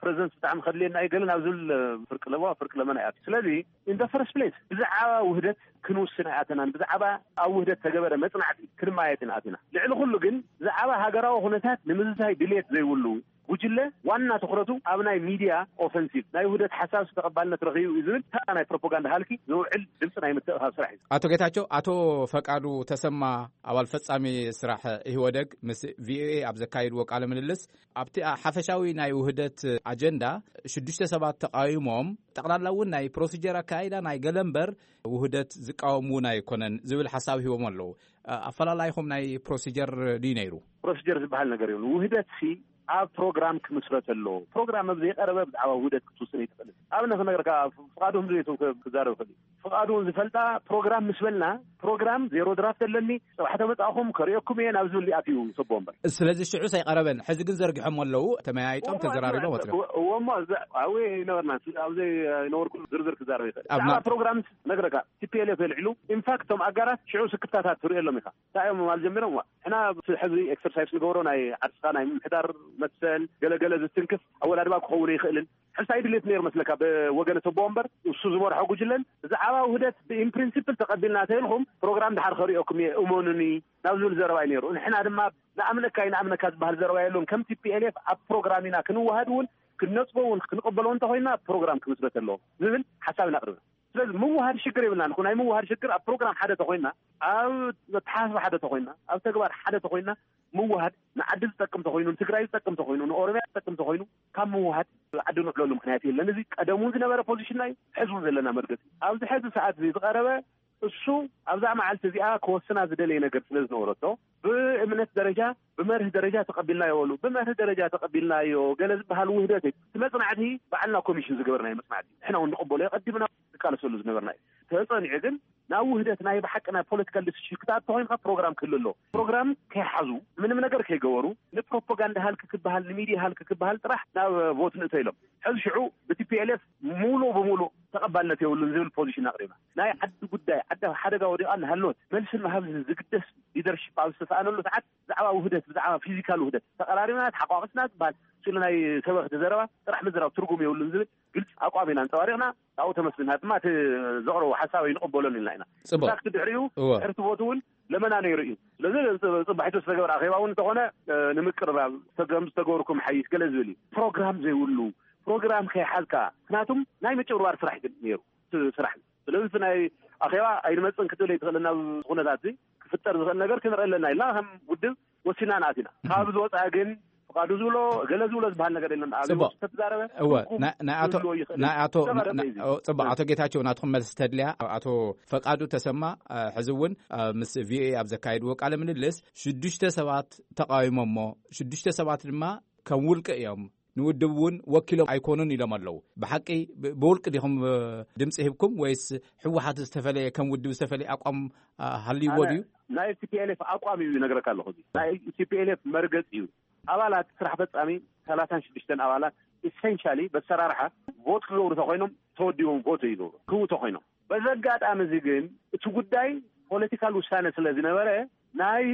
ፕሬዘንስ ብጣዕሚ ከድልየና እዩ ገለ ናብ ዝብል ፍርቂ ለበዋ ፍርቂ ለመና እያ። ስለዚ ኢን ፈርስት ፕሌስ ብዛዕባ ውህደት ክንውስን ኣይኣተናን። ብዛዕባ ኣብ ውህደት ተገበረ መፅናዕቲ ክንማየጥ ኢና ኣቲና። ልዕሊ ኩሉ ግን ብዛዕባ ሃገራዊ ኩነታት ንምዝታይ ድልየት ዘይብሉ ጉጅለ ዋና ትኹረቱ ኣብ ናይ ሚድያ ኦፈንሲቭ ናይ ውህደት ሓሳብ ተቐባልነት ረኺቡ እዩ ዝብል ተራ ናይ ፕሮፓጋንዳ ሃልኪ ዝውዕል ድምፂ ናይ ምትእኻብ ስራሕ እዩ። ኣቶ ጌታቸው፣ ኣቶ ፈቃዱ ተሰማ ኣባል ፈጻሚ ስራሕ ኢህወደግ ምስ ቪኦኤ ኣብ ዘካየድዎ ቃለ ምልልስ ኣብቲ ሓፈሻዊ ናይ ውህደት ኣጀንዳ ሽዱሽተ ሰባት ተቃዊሞም ጠቕላላ እውን ናይ ፕሮሲጀር ኣካይዳ ናይ ገለ እምበር ውህደት ዝቃወም እውን ኣይኮነን ዝብል ሓሳብ ሂቦም ኣለዉ። ኣፈላላይኹም ናይ ፕሮሲጀር ድዩ ነይሩ? ፕሮሲጀር ዝበሃል ነገር የብሉ። ውህደት ሲ ኣብ ፕሮግራም ክምስረት ኣለዎ። ፕሮግራም ኣብ ዘይቀረበ ብዛዕባ ውህደት ክትውስን ኣይትኽእልን። ኣብነት ክነግረካ፣ ፍቓዱ ህምዘቱ ክዛረብ ይኽእል እዩ። ፍቓዱ እውን ዝፈልጣ፣ ፕሮግራም ምስ በልና፣ ፕሮግራም ዜሮ ድራፍት ኣለኒ፣ ጽባሕ ተመጻእኹም ከርእየኩም እየ ናብ ዝብል ኣትዩ ሰቦ እምበር። ስለዚ ሽዑ ኣይቀረበን። ሕዚ ግን ዘርጊሖም ኣለዉ፣ ተመያይጦም ተዘራሪቦም ወፂኦም። እዎ እሞ፣ ኣብዚ ኣብኡ ይነበርና፣ ኣብዚ ይነበርኩ ዝርዝር ክዛረብ ይኽእል። ኣብና- ብዛዕባ ፕሮግራም ነግረካ፣ ቲ ፒ ኤል ኤፍ የልዕሉ። ኢንፋክት፣ እቶም ኣጋራት ሽዑ ስክፍታታት ትርእየሎም ኢኻ። እንታይ እዮም ምባል ጀሚሮም? ዋ፣ ሕና ሕዚ ኤክሰርሳይስ ንገብሮ ናይ ዓርስኻ ናይ ምምሕዳር መሰል ገለገለ ዝትንክፍ ኣወዳድባ ክኸውን ይኽእልን። ሕሳይ ድሌት ነይሩ መስለካ ብወገነ ሰቦ እምበር፣ እሱ ዝመርሖ ጉጅለን ብዛዕባ ውህደት ብኢን ፕሪንሲፕል ተቐቢልና ተይልኩም፣ ፕሮግራም ድሓር ከርእየኩም እየ እመኑኒ ናብ ዝብል ዘረባ እዩ ነይሩ። ንሕና ድማ ንኣምነካ ይንኣምነካ ዝበሃል ዘረባ የለን። ከም ቲ ፒ ኤል ኤፍ ኣብ ፕሮግራም ኢና ክንዋሃድ እውን ክንነጽጎ እውን ክንቕበሎ እንተኮይና ፕሮግራም ክምስረት ኣለዎ ዝብል ሓሳብ ኢና ኣቕርብና። ስለዚ ምውሃድ ሽግር የብልናን። ናይ ምውሃድ ሽግር ኣብ ፕሮግራም ሓደ ተኮይና፣ ኣብ ኣተሓሳስባ ሓደ ተኮይና፣ ኣብ ተግባር ሓደ ተኮይና፣ ምውሃድ ንዓዲ ዝጠቅም ተኮይኑ፣ ንትግራይ ዝጠቅም ተኮይኑ፣ ንኦሮሚያ ዝጠቅም ተኮይኑ፣ ካብ ምውሃድ ዓዲ ንዕለሉ ምክንያት የለን። እዚ ቀደም እውን ዝነበረ ፖዚሽንና እዩ፣ ሕዚ እውን ዘለና መርገፂ። ኣብዚ ሕዚ ሰዓት እዚ ዝቐረበ እሱ ኣብዛ መዓልቲ እዚኣ ክወስና ዝደለየ ነገር ስለ ዝነበረቶ፣ ብእምነት ደረጃ፣ ብመርህ ደረጃ ተቐቢልናዮ በሉ። ብመርህ ደረጃ ተቐቢልናዮ ገለ ዝበሃል ውህደት እዩ። እቲ መጽናዕቲ በዓልና ኮሚሽን ዝገበርናዮ መጽናዕቲ እዩ። ንሕና እውን ንቕበሎ፣ የቐዲምና ንቃለሰሉ ዝነበርና እዩ። ተጸኒዑ ግን ናብ ውህደት ናይ ብሓቂ ናይ ፖለቲካል ዲሲሽን ክትኣቱ ኮይንካ ፕሮግራም ክህሉ ኣለዎ። ፕሮግራም ከይሓዙ፣ ምንም ነገር ከይገበሩ፣ ንፕሮፓጋንዳ ሃልኪ ክበሃል፣ ንሚድያ ሃልኪ ክበሃል ጥራሕ ናብ ቮት ንእቶ ኢሎም። ሕዚ ሽዑ ብቲ ፒ ኤል ኤፍ ሙሉእ ብሙሉእ ተቐባልነት የብሉን ዝብል ፖዚሽን ኣቕሪብና። ናይ ዓዲ ጉዳይ፣ ዓዲ ኣብ ሓደጋ ወዲቓ እናሃለወት መልስን ምሃብ ዝግደስ ሊደርሺፕ ኣብ ዝተሰኣነሉ ሰዓት፣ ብዛዕባ ውህደት፣ ብዛዕባ ፊዚካል ውህደት ተቐራሪብና፣ ተሓቋቒፍና ዝበሃል ስሉ ናይ ሰበኽቲ ዘረባ ጥራሕ ምዝራብ ትርጉም የብሉን ዝብል ግልፂ ኣቋም ኢና ኣንፀባሪቕና። ኣብኡ ተመስግና ድማ እቲ ዘቕረቦ ሓሳብ ኣይንቕበሎን ኢልና ኢና። ጽቡቕ። ኢንፋክት ድሕሪኡ፣ እወ። ድሕሪ እቲ ቮት እውን ለመና ነይሩ እዩ። ስለዚ ጽ-፣ ጽባሒቱ ዝተገበረ ኣኼባ እውን እንተኾነ፣ እ፣ ንምቅርራብ ከም ዝተገበርኩም ሓይሽ ገለ ዝብል እዩ። ፕሮግራም ዘይብሉ፣ ፕሮግራም ከይሓዝካ፣ ምክንያቱም ናይ ምጭብርባር ስራሕ ግን ነይሩ፣ ስ-፣ ስራሕ። ስለዚ እቲ ናይ ኣኼባ ኣይንመጽን ክትብል ኣይትኽእልን። ናብ ኩነታት እዚ ክፍጠር ዝኽእል ነገር ክንርኢ ኣለና ኢልና ከም ውድብ ወሲና ንኣቲና። ካብ ዝወፅኣ ግን ፍቓዱ ዝብሎ፣ ገለ ዝብሎ ዝበሃል ነገር የለን። ኣብ ጽቡቕ። ውሽጢ ተዛረበ እወ፣ ትርጉም ናይ፣ ናይ ኣቶ፣ ክህልዎ ይኽእል። ናይ ኣቶ፣ ዝተዛረበ ናይ፣ እዩ። ኦ፣ ጽቡቕ። ኣቶ ጌታቸው፣ ናትኩም መልሲ ተድልያ። ኣቶ ፈቃዱ ተሰማ፣ እ፣ ሕዚ እውን፣ እ፣ ምስ ቪ ኦ ኤ ኣብ ዘካየድዎ ቃለ ምልልስ፣ ሽዱሽተ ሰባት ተቃዊሞሞ፣ ሽዱሽተ ሰባት ድማ ከም ውልቂ እዮም፣ ንውድብ እውን ወኪሎም ኣይኮኑን ኢሎም ኣለዉ። ብሓቂ ብ-፣ ብውልቂ ዲኹም፣ እ፣ ድምፂ ሂብኩም ወይስ ህወሓት ዝተፈለየ፣ ከም ውድብ ዝተፈለየ ኣቋም፣ እ፣ ሃልይዎ ኣነ ድዩ? ናይ ቲ ፒ ኤል ኤፍ ኣቋም እዩ ይነግረካ ኣለኹ። እዚ ናይ ቲ ፒ ኤል ኤፍ መርገፂ እዩ። ኣባላት ስራሕ ፈጻሚ፣ ሰላሳን ሽዱሽተን ኣባላት፣ ኢሰንሻሊ በሰራርሓ ቮት ክገብሩ ተኮይኖም ተወዲቦም ቮት ይገብሩ ክህቡ ተኮይኖም። በዚ ኣጋጣሚ እዚ ግን እቲ ጉዳይ ፖለቲካል ውሳነ ስለ ዝነበረ፣ ናይ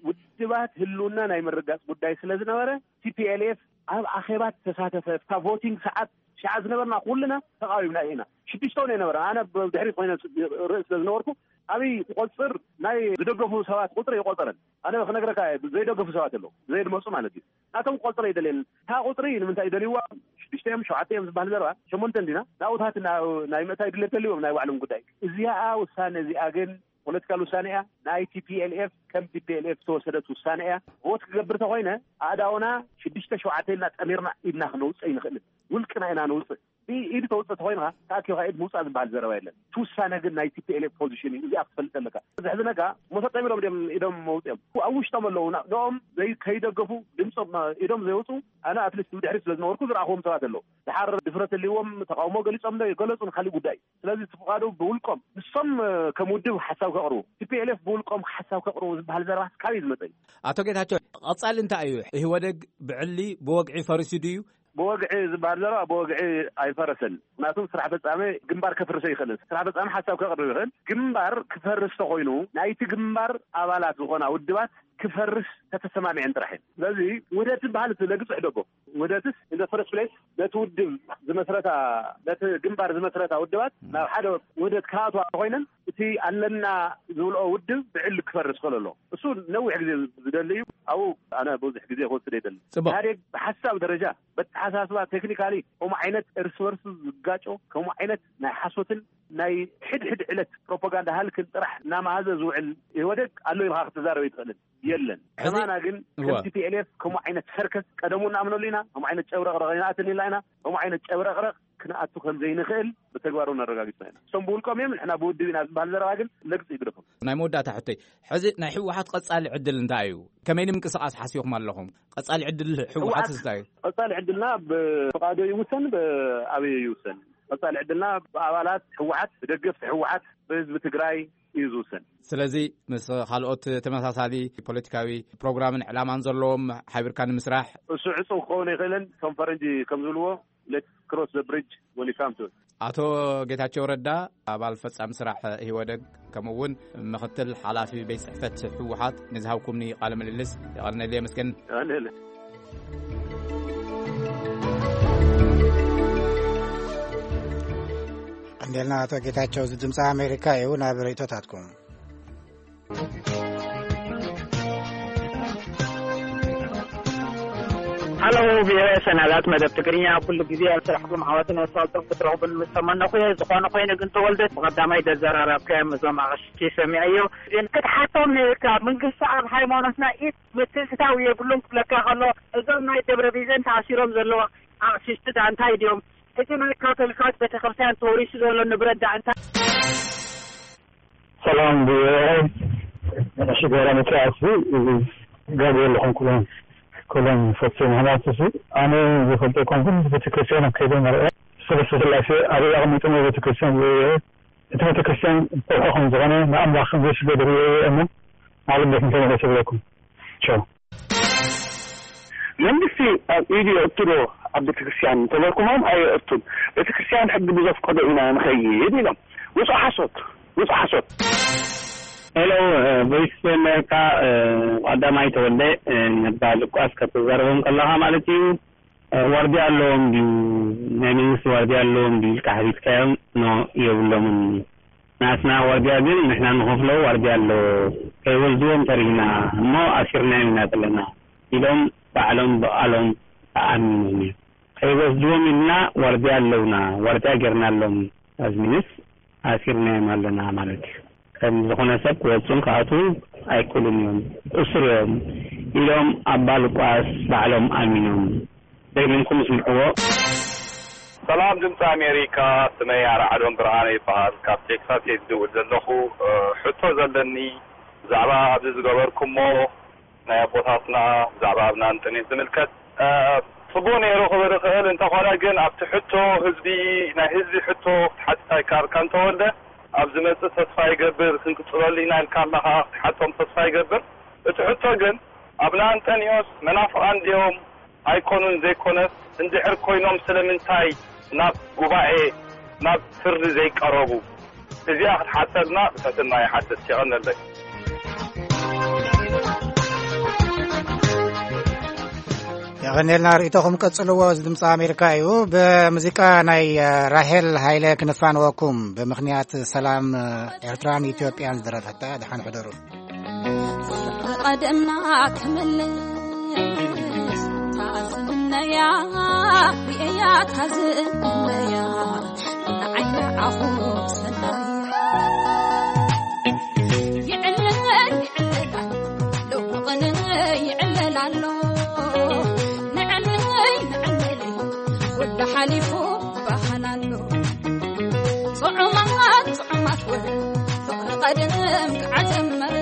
ውድባት ህልውና ናይ ምርጋጽ ጉዳይ ስለ ዝነበረ፣ ቲ ፒ ኤል ኤፍ ኣብ ኣኼባ ተሳተፈ። ኣብታ ቮቲንግ ሰዓት ሽዓ ዝነበርና ኩልና ተቃዊምና ኢና። ሽዱሽተ እውን ኣይነበረን። ኣነ ብድሕሪት ኮይነ ርእስ ስለ ዝነበርኩ፣ ኣብይ ቆጽር ናይ ዝደገፉ ሰባት ቁጽሪ ኣይቆጸረን። ኣነ ክነግረካ እየ፣ ዘይደገፉ ሰባት ኣለዉ፣ ዘይድመጹ ማለት እዩ። ናቶም ቆጽሪ ኣይደልየን። እታ ቁጽሪ ንምንታይ ይደልይዋ? ሽዱሽተ እዮም፣ ሸውዓተ እዮም ዝበሃል ዘረባ፣ ሸሞንተ እንዲና። ናብኡታት ናይ፣ ናይ ምእታይ ድሌት ተልዎም ናይ ባዕሎም ጉዳይ። እዚኣ ውሳነ እዚኣ ግን ፖለቲካል ውሳነ እያ። ናይ ቲ ፒ ኤል ኤፍ ከም ቲ ፒ ኤል ኤፍ ዝተወሰደት ውሳነ እያ። ቮት ክገብር ተኮይነ ኣእዳውና ሽዱሽተ ሸውዓተ ኢልና ጠሚርና ኢድና ክነውፅእ ኣይንኽእልን። ውልቅና ኢና ነውፅእ። ኢድ ተውፅእ ተኮይንካ ተኣኪብካ ኢድ ምውፃእ ዝበሃል ዘረባ የለን። እቲ ውሳነ ግን ናይ ቲ ፒ ኤል ኤፍ ፖዚሽን እዩ። እዚኣ ክትፈልጥ ኣለካ። እዚ ሕዚ ነጋ መሰጦም ኢሎም ድም ኢዶም መውፅኦም ኣብ ውሽጦም ኣለዉ። ና-፣ ንኦም ዘይ-፣ ከይደገፉ ድምፆም ኢዶም ዘየውፁ ኣነ ኣትሊስት ብድሕሪት ስለ ዝነበርኩ ዝረኣኽዎም ሰባት ኣለዉ። ድሓር ድፍረት ህልዎም ተቃውሞ ገሊፆም ዶ ገለፁ ንካሊእ ጉዳይ። ስለዚ እቲ ፍቓዱ ብውልቆም ንሶም፣ እ፣ ከም ውድብ ሓሳብ ከቕርቡ፣ ቲ ፒ ኤል ኤፍ ብውልቆም ሓሳብ ከቕርቡ ዝበሃል ዘረባ ካበይ ዝመፀ እዩ? ኣቶ ጌታቸው፣ ቀጻሊ እንታይ እዩ? ኢህወደግ ብዕሊ ብወግዒ ፈሪሱ ድዩ? ብወግዒ ዝበሃል ዘረባ ብወግዒ ኣይፈረሰን። ምክንያቱም ስራሕ ፈጻሚ ግንባር ከፍርሰ ይኽእልን። ስራሕ ፈጻሚ ሓሳብ ከቕርብ ይኽእል። ግንባር ክፈርስ ተኾይኑ ናይቲ ግንባር ኣባላት ዝኾና ውድባት ክፈርስ ተተሰማሚዐን ጥራሕ እየን። ስለዚ ውህደት ዝበሃል እቲ ለግጽ ሕደጎ። ውህደትስ in the first place ነቲ ውድብ ዝመስረታ፣ ነቲ ግንባር ዝመስረታ ውድባት ናብ ሓደ ውህደት ክኣትዋ ኮይነን እቲ ኣለና ዝብልኦ ውድብ ብዕሊ ክፈርስ ክኽእል ኣለዎ። እሱ ነዊሕ ግዜ ዝደሊ እዩ። ኣብኡ ኣነ ብዙሕ ግዜ ክወስድ ኣይደልን። ጽቡቕ። ኢህኣዴግ ብሓሳብ ደረጃ፣ በተሓሳስባ፣ ቴክኒካሊ ከምኡ ዓይነት እርስ በርሱ ዝጋጮ፣ ከምኡ ዓይነት ናይ ሓሶትን ናይ ሕድሕድ ዕለት ፕሮፓጋንዳ ሃልክን ጥራሕ እናመሃዘ ዝውዕል ኢህወደግ ኣሎ ኢልካ ክትዛረብ ኣይትኽእልን። የለን። ሕዚ ከማና ግን እወ። ከም ቲ ፒ ኤል ኤፍ ከምኡ ዓይነት ሰርከስ ቀደሙ እናኣምነሉ ኢና። ከምኡ ዓይነት ጨብረቕረቕ ኣይንኣትን ኢልና ኢና። ከምኡ ዓይነት ጨብረቕረቕ ክንኣቱ ከም ዘይንኽእል ብተግባር እውን ኣረጋጊጽና ኢና። እሶም ብውልቆም እዮም፣ ንሕና ብውድብ ኢና ዝበሃል ዘረባ ግን ለግጽ ይግደፎም። ናይ መወዳእታ ሕቶይ፣ ሕዚ ናይ ህወሓት ቀጻሊ ዕድል እንታይ እዩ? ከመይ ንምንቅስቓስ ሓሲብኩም ኣለኹም? ቀጻሊ ዕድል ህወሓት ህወሓት እንታይ እዩ? ቀጻሊ ዕድልና ብፍቓዶ ይውሰን፣ ብኣበዮ ይውሰን። ቀጻሊ ዕድልና ብኣባላት ህወሓት፣ ብደገፍቲ ህወሓት፣ ብህዝቢ ትግራይ እዩ ዝውሰን። ስለዚ ምስ ካልኦት ተመሳሳሊ ፖለቲካዊ ፕሮግራምን ዕላማን ዘለዎም ሓቢርካ ንምስራሕ እሱ ዕጹው ክኸውን ኣይኽእልን። እቶም ፈረንጂ ከም ዝብልዎ፣ let's cross the bridge when you come to it። ኣቶ ጌታቸው ረዳ፣ ኣባል ፈጻሚ ስራሕ ኢህወደግ፣ ከምኡ እውን ምኽትል ሓላፊ ቤት ጽሕፈት ህወሓት፣ ንዝሃብኩምኒ ቃለ ምልልስ የቐንየለይ፣ የመስገን። የቐንየለይ። ቀንዴልና ኣቶ ጌታቸው፣ እዚ ድምፂ ኣሜሪካ እዩ። ናብ ርእይቶታትኩም። ሃሎ፣ ብሔራዊ ሰናዳት መደብ ትግርኛ ኩሉ ግዜ ኣብ ስራሕኩም ዓወትን ኣሳልጦን ክትረኽቡ ንምተመነኹ እየ። ዝኾነ ኮይኑ ግን፣ ተወልደ፣ ብቐዳማይ ደዘራረብካዮም እዞም ኣቕሽቲ ሰሚዐዮ። ግን ክትሓቶም ነይርካ፣ መንግስቲ ኣብ ሃይማኖትና ኢድ ምትእትታው የብሉን ክብለካ ከሎ፣ እዞም ናይ ደብረ ቢዘን ተኣሲሮም ዘለዉ ኣቕሽሽቲ ዳ እንታይ ድዮም? እቲ ናይ ካቶሊካት ቤተክርስትያን ተወሪሱ ዘሎ ንብረት ዳ እንታይ? ሰላም፣ ብሽገራ መጽኣሲ እዚ ጋብርኤል ዝኾንኩ ኩሎም ፈትዮ ምኽንያት እዚ ኣነ ዝፈልጦ ኮንኩን ቤተክርስትያን ኣብ ከይደ መርአ ሰለስተ ስላሴ ኣበይ ኣቐሚጦም ቤተክርስትያን ዝእየ እቲ ቤተክርስትያን ከውሒ ከም ዝኾነ ንኣምላኽ ከም ዘይስገድ ርእየ እየ እሞ ናብኡ ቤት እንተመለሰ ብለኩም። ቻው። መንግስቲ ኣብ ኢዱ የእቱ ዶ ኣብ ቤተክርስትያን እንተበልኩሞም ኣየእቱን። ቤተክርስትያን ሕጊ ብዘፍቀዶ ኢና ንኸይድ ኢሎም። ውፁእ ሓሶት፣ ውፁእ ሓሶት። ሄሎ፣ እ፣ ቮይስ ኦፍ ኣሜሪካ፣ እ፣ ቀዳማይ ተወልደ፣ እ፣ ነባ ልቋስ ከተዛርቦም ከለኻ ማለት እዩ። እ፣ ዋርድያ ኣለዎም ድዩ? ናይ መንግስቲ ዋርድያ ኣለዎም ድዩ ኢልካ ሓቲትካዮም? ኖ፣ የብሎምን። ናትና ዋርድያ ግን ንሕና ንኸፍሎ ዋርድያ ኣሎ። ከይወስድዎም ፈሪህና እሞ ኣሲርናዮም ኢና ዘለና ኢሎም ባዕሎም ብቓሎም ተኣሚኖም እዮም። ከይወስድዎም ኢልና ዋርድያ ኣለውና፣ ዋርድያ ጌርናሎም። ኣዝሚንስ ኣሲርናዮም ኣለና ማለት እዩ። ከም ዝኾነ ሰብ ክወፁን ክኣትዉ ኣይክእሉን እዮም፣ እሱር እዮም ኢሎም ኣባ ሉቃስ ባዕሎም ኣሚኖም። ደጊምኩም ስምዕዎ። ሰላም ድምፂ ኣሜሪካ፣ ስመይ ኣርዓዶም ብርሃነ ይበሃል። ካብ ቴክሳስ እየ ዝድውል ዘለኹ። እ፣ ሕቶ ዘለኒ ብዛዕባ ኣብዚ ዝገበርኩሞ ናይ ኣቦታትና ብዛዕባ ኣብ ናንጠኔት ዝምልከት፣ እ፣ ጽቡቕ ነይሩ ክብል እኽእል። እንተኾነ ግን ኣብቲ ሕቶ ህዝቢ፣ ናይ ህዝቢ ሕቶ ክትሓትት ኣይከኣልካ እንተወልደ፣ ኣብ ዝመጽእ ተስፋ ይገብር፣ ክንቅጽለሉ ኢና ኢልካ ኣለኻ፣ ክትሓቶም ተስፋ ይገብር። እቲ ሕቶ ግን ኣብ ናንጠኒዮስ መናፍቓን ድዮም ኣይኮኑን ዘይኮነስ፣ እንድሕር ኮይኖም ስለምንታይ ናብ ጉባኤ፣ ናብ ፍርዲ ዘይቀረቡ? እዚኣ ክትሓተልና ብትሕትና ይሓትት። የቐንየለይ። የቐንየልና፣ ርእይቶኹም ቀጽልዎ። እዚ ድምፂ ኣሜሪካ እዩ። ብሙዚቃ ናይ፣ እ፣ ራሄል ሃይለ ክንፋንወኩም፣ ብምኽንያት ሰላም፣ እ፣ ኤርትራን ኢትዮጵያን ዝደረፈታ። ደሓን ሕደሩ። ፍቕሪ ቀደምና ክምልስ ታዝምነያ፣ ርእያ ታዝምነያ፣ ንዓይ ንዓኹ ሰናያ። ይዕለል ይዕለል ኣሎ፣ ሎሚ ቅነ ይዕለል ኣሎ። ንዕለይ ንዕለይ፣ ኩሉ ሓሊፉ ባህል ኣሎ። ጥዑማት ጥዑማት ወረ፣ ፍቕሪ ቀደም ከዓ ጀመረ።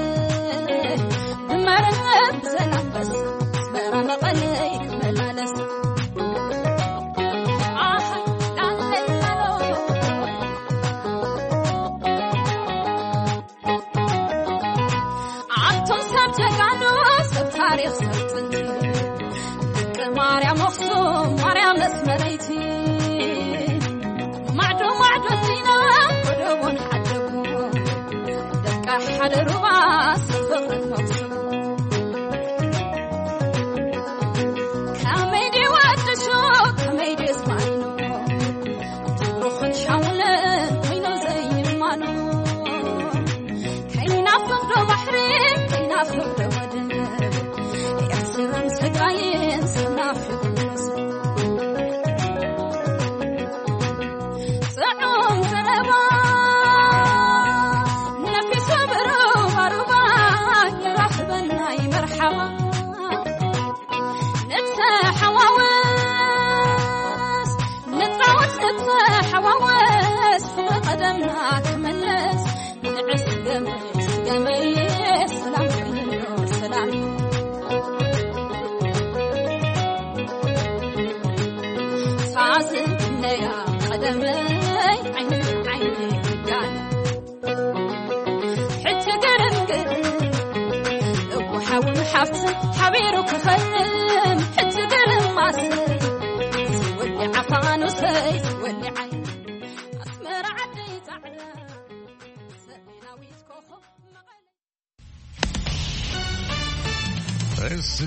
ብመረብ ዘናበስ፣ ኣስመራ መቐለይ ክመላለስ። ኣሃ፣ ላለይ ላሎ። ኣቶም ሰብ ጀጋኑ፣ ሰብ ታሪኽ፣ ሰብ ጥንቲ፣ ደቂ ማርያም ኣኽሱም፣ ማርያም ኣስመረይቲ፣ ማዕዶ ማዕዶ እንዲና፣ ጎደቦን ሓደጉ፣ ደቂ ሓደ ሩባ፣ ሰብ ፍቕርን መኽሱም። ከመይ ድዩ ወዲ ሹቕ፣ ከመይ ድዩ ስማይኖ፣ ሩኽን ሻውልን ኮይኖ ዘይማኖ። ከይናፍቕ ዶ ባሕሪ፣ ከይናፍቕ ዶ ወደብ፣ ኤርትራን ትግራይን ሰብ ናፊቑ ሰብ። ጥዑም ዘረባ ነፊሱ ብሩባ ሩባ፣ ይራኽበና ይመርሓባ። ንተሓዋወስ፣ ንጻወት፣ ንተ- ትምለስ ንዕስ ገመይ ስገመይ ሰላም ሰላም ሳዝነያ ቀደመይ ዓይኒ ዓይኒ ዳን ሕጂ ገረም ገረም እኮ ሓውን ሓፍትን ሓቢሩ ክኸም ሕጂ ገረም ማሰይ ወዲ ዓፋኑሰይ ወዲ ዓይ ኣስመራ ዓደይ ጻዕዳ ሰሜናዊት ኮኾብ መቐለ This is